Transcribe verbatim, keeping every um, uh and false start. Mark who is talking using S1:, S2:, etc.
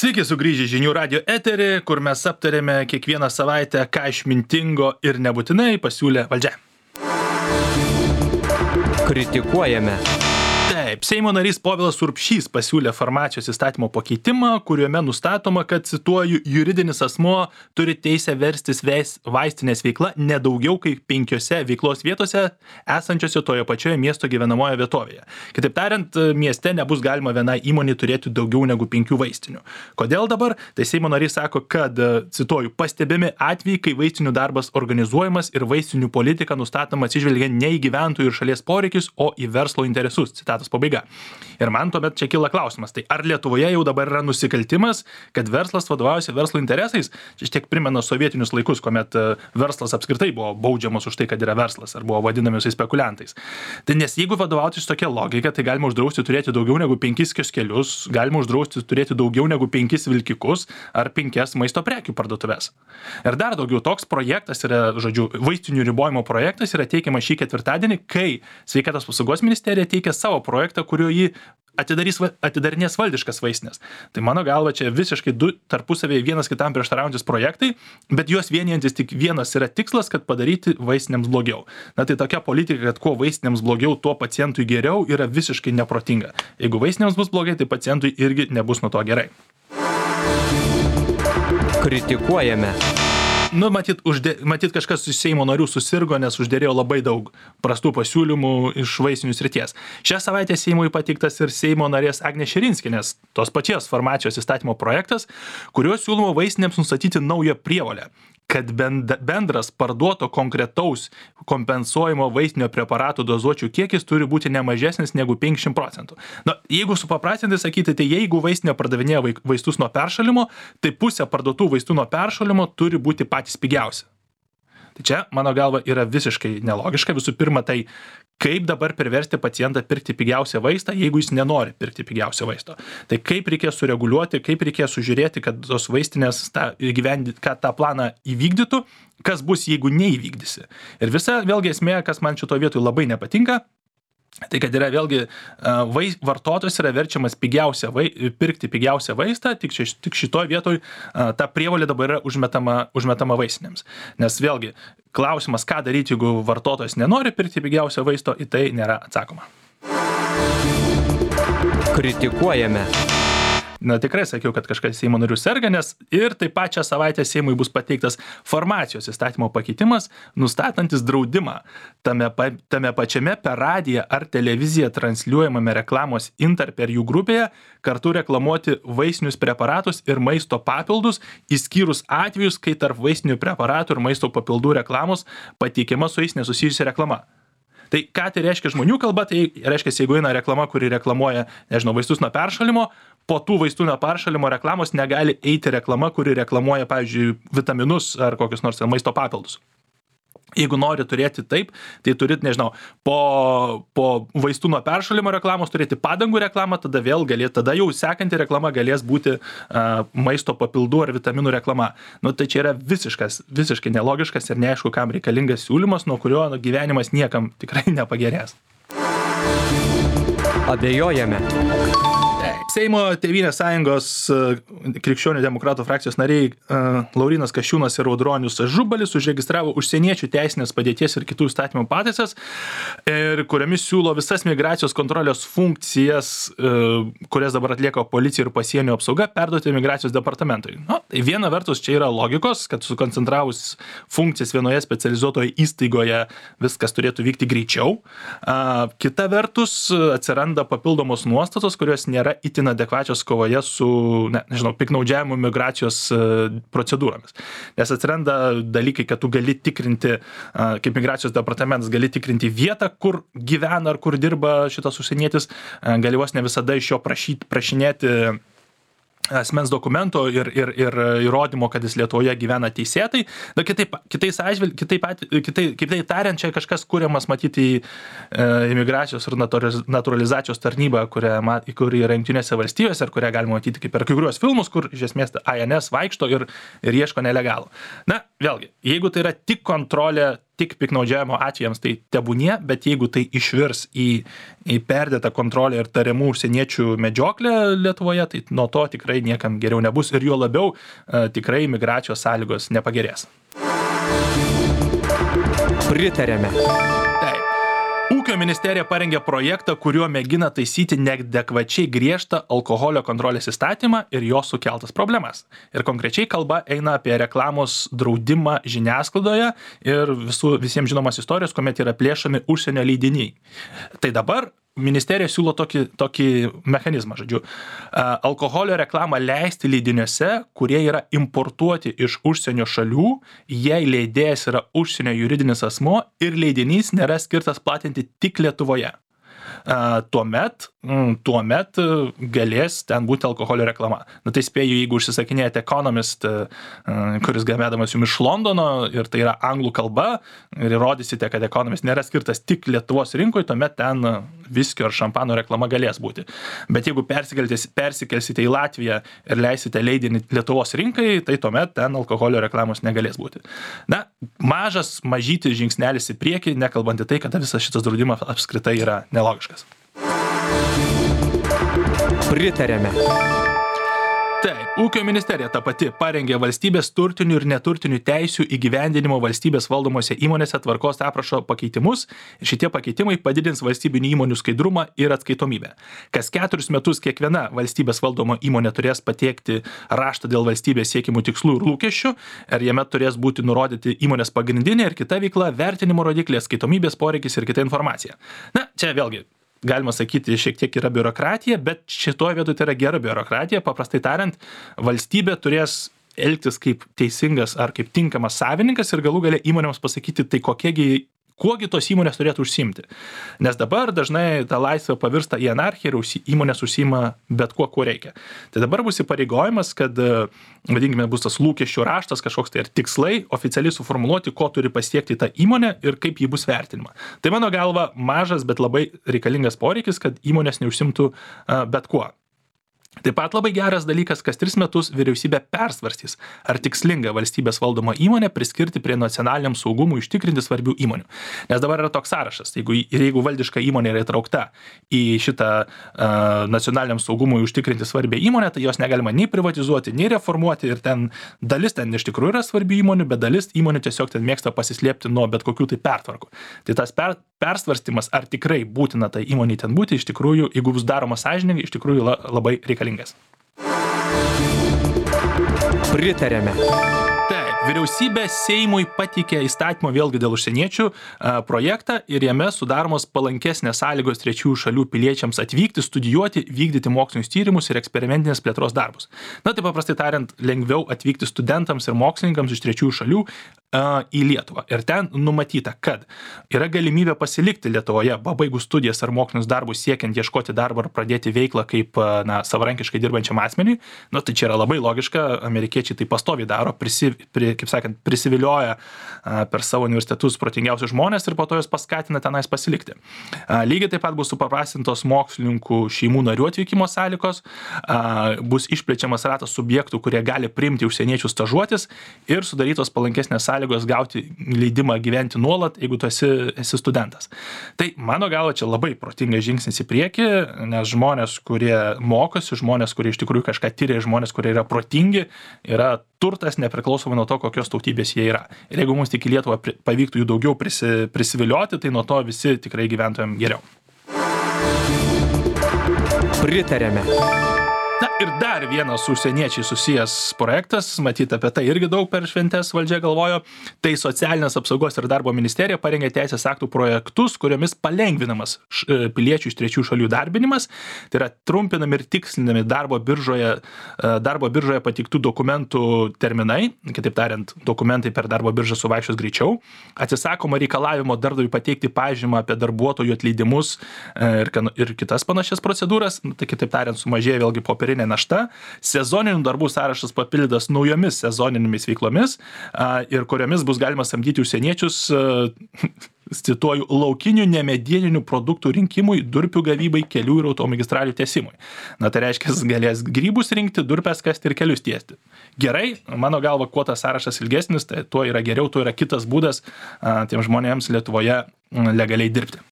S1: Sveiki sugrįžę žinių radio eterį, kur mes aptarėme kiekvieną savaitę, ką išmintingo ir nebūtinai pasiūlė valdžia.
S2: Kritikuojame.
S1: Taip, Seimo narys Povilas Urbšys pasiūlė farmacijos įstatymo pakeitimą, kuriuome nustatoma, kad, cituoju, juridinis asmuo turi teisę verstis veis, vaistinės veikla ne daugiau kaip penkiose veiklos vietose esančiose toje pačioje miesto gyvenamoje vietovėje. Kitaip tariant, mieste nebus galima vienai įmonei turėti daugiau negu penkių vaistinių. Kodėl dabar? Tai Seimo narys sako, kad, cituoju, pastebimi atvejai, kai vaistinių darbas organizuojamas ir vaistinių politika nustatoma atsižvelgiant ne į gyventojų ir šalies poreikius, o į verslo interesus. Citatos pabaiga. Ir man tuomet čia kyla klausimas, tai ar Lietuvoje jau dabar yra nusikaltimas, kad verslas vadovaujasi verslo interesais? Čia tiek primena sovietinius laikus, kuomet verslas apskritai buvo baudžiamas už tai, kad yra verslas, ar buvo vadinami spekuliantais. Tai nes jeigu vadovautis tokia logika, tai galima uždrausti turėti daugiau negu penkis kioskelius, galima uždrausti turėti daugiau negu penkis vilkikus ar penkias maisto prekių parduotuves. Ir dar daugiau, toks projektas yra, žodžiu, vaistinių ribojimo projektas yra teikiamas šį ketvirtadienį, kai Sveikatos apsaugos ministerija teikia savo projektą, kuriuo jį atidarys, atidarinės valdiškas vaistinės. Tai mano galva čia visiškai du tarpusavėje vienas kitam prieštaraujantis projektai, bet juos vienijantis tik vienas yra tikslas, kad padaryti vaistinėms blogiau. Na tai tokia politika, kad kuo vaistinėms blogiau, tuo pacientui geriau, yra visiškai neprotinga. Jeigu vaistinėms bus blogai, tai pacientui irgi nebus nuo to gerai.
S2: Kritikuojame.
S1: Nu, matyt, uždė, matyt, kažkas iš Seimo narių susirgo, nes uždėrėjo labai daug prastų pasiūlymų iš vaistinių srities. Šią savaitę Seimui pateiktas ir Seimo narės Agnės Širinskienės, tos pačios farmacijos įstatymo projektas, kuriuo siūloma vaistinėms nustatyti naują prievolę, kad bendras parduoto konkretaus kompensuojamo vaistinio preparatų dozuočių kiekis turi būti nemažesnis negu penkiasdešimt procentų. Na, jeigu supaprastintai sakyti, tai jeigu vaistinė pardavinėja vaistus nuo peršalimo, tai pusė parduotų vaistų nuo peršalimo turi būti patys pigiausi. Tai čia, mano galva, yra visiškai nelogiška. Visų pirma, tai kaip dabar priversti pacientą pirkti pigiausią vaistą, jeigu jis nenori pirkti pigiausio vaisto. Tai kaip reikės sureguliuoti, kaip reikės sužiūrėti, kad tos vaistinės tą, kad tą planą įvykdytų, kas bus, jeigu neįvykdysi. Ir visa vėlgi esmė, kas man šito vietoj labai nepatinka, tai kad yra vėlgi vais, vartotojas yra verčiamas pigiausią vai, pirkti pigiausią vaistą, tik, ši, tik šitoj vietoj ta prievolė dabar yra užmetama, užmetama vaistinėms. Nes vėlgi klausimas, ką daryti, jeigu vartotojas nenori pirkti pigiausio vaisto, į tai nėra atsakoma.
S2: Kritikuojame.
S1: Na, tikrai sakiau, kad kažkas Seimo narių serga, nes ir taip pat šią savaitę Seimui bus pateiktas farmacijos įstatymo pakeitimas, nustatantis draudimą tame, tame pačiame per radiją ar televiziją transliuojamame reklamos Inter per jų grupėje kartu reklamuoti vaistinius preparatus ir maisto papildus, išskyrus atvejus, kai tarp vaistinių preparatų ir maisto papildų reklamos pateikiama su jais nesusijusi reklama. Tai ką tai reiškia žmonių kalba, tai reiškia, jeigu eina reklama, kuri reklamuoja, nežinau, vaistus nuo peršalimo, po tų vaistų nuo peršalimo reklamos negali eiti reklama, kuri reklamuoja, pavyzdžiui, vitaminus ar kokius nors maisto papildus. Jeigu nori turėti taip, tai turit, nežinau, po, po vaistų nuo peršalimo reklamos turėti padangų reklamą, tada vėl galėt, tada jau sekanti reklama galės būti uh, maisto papildų ar vitaminų reklama. Nu, tai čia yra visiškas, visiškai nelogiškas ir neaišku, kam reikalingas siūlymas, nuo kurio gyvenimas niekam tikrai nepagerės.
S2: Abejojame.
S1: Seimo Tėvynės sąjungos krikščionių demokratų frakcijos nariai Laurynas Kasčiūnas ir Audronius Ažubalis užregistravo užsieniečių teisinės padėties ir kitų įstatymų pataisas, ir kuriamis siūlo visas migracijos kontrolės funkcijas, kurias dabar atlieka policija ir pasienio apsauga, perduoti migracijos departamentui. Nu, tai viena vertus čia yra logikos, kad sukoncentravus funkcijas vienoje specializuotoje įstaigoje viskas turėtų vykti greičiau. Kita vertus atsiranda papildomos nuostatos, kurios nėra itin adekvačios kovoje su, ne, nežinau, piknaudžiavimu migracijos procedūromis. Nes atsiranda dalykai, kad tu gali tikrinti, kaip migracijos departamentas gali tikrinti vietą, kur gyvena ar kur dirba šitas užsienietis, gali vos ne visada iš jo prašyti, prašinėti asmens dokumento ir, ir, ir įrodymo, kad jis Lietuvoje gyvena teisėtai. Na, kitaip, kitais atžvilg, kitaip, kitaip, kitaip tariant, čia kažkas kuriamas matyti į e, imigracijos ir naturalizacijos tarnybą, kurią, kuri yra Jungtinėse valstijose, ir kurią galima matyti kaip per kai kuriuos filmus, kur iš esmės A N S vaikšto ir, ir ieško nelegalų. Na, vėlgi, jeigu tai yra tik kontrolė tik piknaudžiavimo atvejams tai tebūnie, bet jeigu tai išvirs į, į perdėtą kontrolę ir tariamų užsieniečių medžioklę Lietuvoje, tai nuo to tikrai niekam geriau nebus ir juo labiau uh, tikrai migracijos sąlygos nepagerės.
S2: Pritarėme.
S1: Ūkio ministerija parengė projektą, kuriuo mėgina taisyti neadekvačiai griežtą alkoholio kontrolės įstatymą ir jo sukeltas problemas. Ir konkrečiai kalba eina apie reklamos draudimą žiniasklaidoje ir visų, visiems žinomas istorijos, kuomet yra plėšomi užsienio leidiniai. Tai dabar ministerija siūlo tokį, tokį mechanizmą, žodžiu, alkoholio reklamą leisti leidiniuose, kurie yra importuoti iš užsienio šalių, jei leidėjas yra užsienio juridinis asmuo ir leidinys nėra skirtas platinti tik Lietuvoje. Tuomet, tuomet galės ten būti alkoholio reklama. Na tai spėju, jeigu užsisakinėjate Economist, kuris gaminamas jums iš Londono ir tai yra anglų kalba ir įrodysite, kad Economist nėra skirtas tik Lietuvos rinkoje, tuomet ten viskio ar šampano reklama galės būti. Bet jeigu persikelsite į Latviją ir leisite leidinį Lietuvos rinkai, tai tuomet ten alkoholio reklamos negalės būti. Na, mažas, mažytis žingsnelis į priekį, nekalbant į tai, kad visas šitas draudimas apskritai yra nelogiškas.
S2: Pritarėme.
S1: Taip, ūkio ministerija ta pati parengė valstybės turtinių ir neturtinių teisių įgyvendinimo valstybės valdomose įmonėse tvarkos aprašo pakeitimus ir šitie pakeitimai padidins valstybinių įmonių skaidrumą ir atskaitomybę. Kas keturis metus kiekviena valstybės valdoma įmonė turės pateikti raštą dėl valstybės siekimų tikslų ir lūkesčių, ir jame turės būti nurodyti įmonės pagrindinė ir kita veikla, vertinimo rodiklė, atskaitomybės poreikis ir kita informacija. Na, čia vėlgi galima sakyti, šiek tiek yra biurokratija, bet šitoje vietoje tai yra gera biurokratija. Paprastai tariant, valstybė turės elgtis kaip teisingas ar kaip tinkamas savininkas ir galų gale įmonėms pasakyti, tai kokiegi, kuogi tos įmonės turėtų užsiimti. Nes dabar dažnai ta laisvė pavirsta į anarchiją ir įmonės užsiima bet kuo, kuo reikia. Tai dabar bus įpareigojimas, kad, vadinkime, bus tas lūkesčių raštas, kažkoks tai ir tikslai oficialiai suformuluoti, ko turi pasiekti ta įmonė ir kaip ji bus vertinima. Tai mano galva mažas, bet labai reikalingas poreikis, kad įmonės neužsimtų bet kuo. Taip pat labai geras dalykas, kas tris metus vyriausybė persvarstys, ar tikslinga valstybės valdoma įmonė priskirti prie nacionaliniam saugumui užtikrinti svarbių įmonių. Nes dabar yra toks sąrašas, jeigu, ir jeigu valdiška įmonė yra įtraukta į šitą uh, nacionaliniam saugumui užtikrinti svarbią įmonę, tai jos negalima nei privatizuoti, nei reformuoti ir ten dalis ten iš tikrųjų yra svarbių įmonių, bet dalis įmonių tiesiog ten mėgsta pasislėpti nuo bet kokių tai pertvarkų. Tai tas per, persvarstymas, ar tikrai būtina tai įmonei ten būti, iš tikrųjų, jeigu bus daroma sąžiningai, iš tikrųjų la, labai reikalingas.
S2: Pritarėme.
S1: Taip, vyriausybė Seimui pateikė įstatymą vėlgi dėl užsieniečių a, projektą ir jame sudaromos palankesnės sąlygos trečiųjų šalių piliečiams atvykti, studijuoti, vykdyti mokslinius tyrimus ir eksperimentinės plėtros darbus. Na, tai paprastai tariant, lengviau atvykti studentams ir mokslininkams iš trečiųjų šalių a, į Lietuvą. Ir ten numatyta, kad yra galimybė pasilikti Lietuvoje, pabaigus studijas ar mokslinius darbus siekiant ieškoti darbą ar pradėti veiklą kaip na, savarankiškai dirbančiam asmeniui. Na, tai čia yra labai logiška, amerikiečiai tai pastoviai daro, prisi, pri, kaip sakant, prisivilioja a, per savo universitetus protingiausius žmonės ir po to jos paskatina tenais pasilikti. A, lygiai taip pat bus supaprastintos mokslininkų šeimų narių atvykimo sąlygos, a, bus išplečiamas ratas subjektų, kurie gali priimti užsieniečius stažuotis ir sudarytos palankesnės sąlygos gauti leidimą gyventi nuolat, jeigu tu esi, esi studentas. Tai mano galva čia labai protingas žingsnis į priekį, nes žmonės, kurie mokosi, žmonės, kurie iš tikrųjų kažką tyria, žmonės, kurie yra protingi, yra turtas nepriklausomai nuo to, kokios tautybės jie yra. Ir jeigu mums tik į Lietuvą pavyktų jų daugiau prisi, prisivilioti, tai nuo to visi tikrai gyventojam geriau.
S2: Pritarėme.
S1: Na ir dar vienas su užsieniečiai susijęs projektas, matyt apie tai irgi daug per šventes valdžia galvojo, tai socialinės apsaugos ir darbo ministerija parengė teisės aktų projektus, kuriomis palengvinamas piliečių iš trečių šalių darbinimas, tai yra trumpinami ir tikslinami darbo biržoje, darbo biržoje pateiktų dokumentų terminai, kitaip tariant, dokumentai per darbo biržą suvaikščios greičiau, atsisakoma reikalavimo darbdaviui pateikti pažymą apie darbuotojų atleidimus ir, ir kitas panašias procedūras, tai kitaip tariant, sumažėja vėlgi popieriniai našta, sezoninių darbų sąrašas papildytas naujomis sezoninėmis veiklomis a, ir kuriomis bus galima samdyti užsieniečius a, cituoju, laukinių nemedieninių produktų rinkimui, durpių gavybai, kelių ir automagistralių tiesimui. Na, tai reiškia, jis galės grybus rinkti, durpes kasti ir kelius tiesti. Gerai, mano galva, kuo tas sąrašas ilgesnis, tai tuo yra geriau, tuo yra kitas būdas a, tiem žmonėms Lietuvoje legaliai dirbti.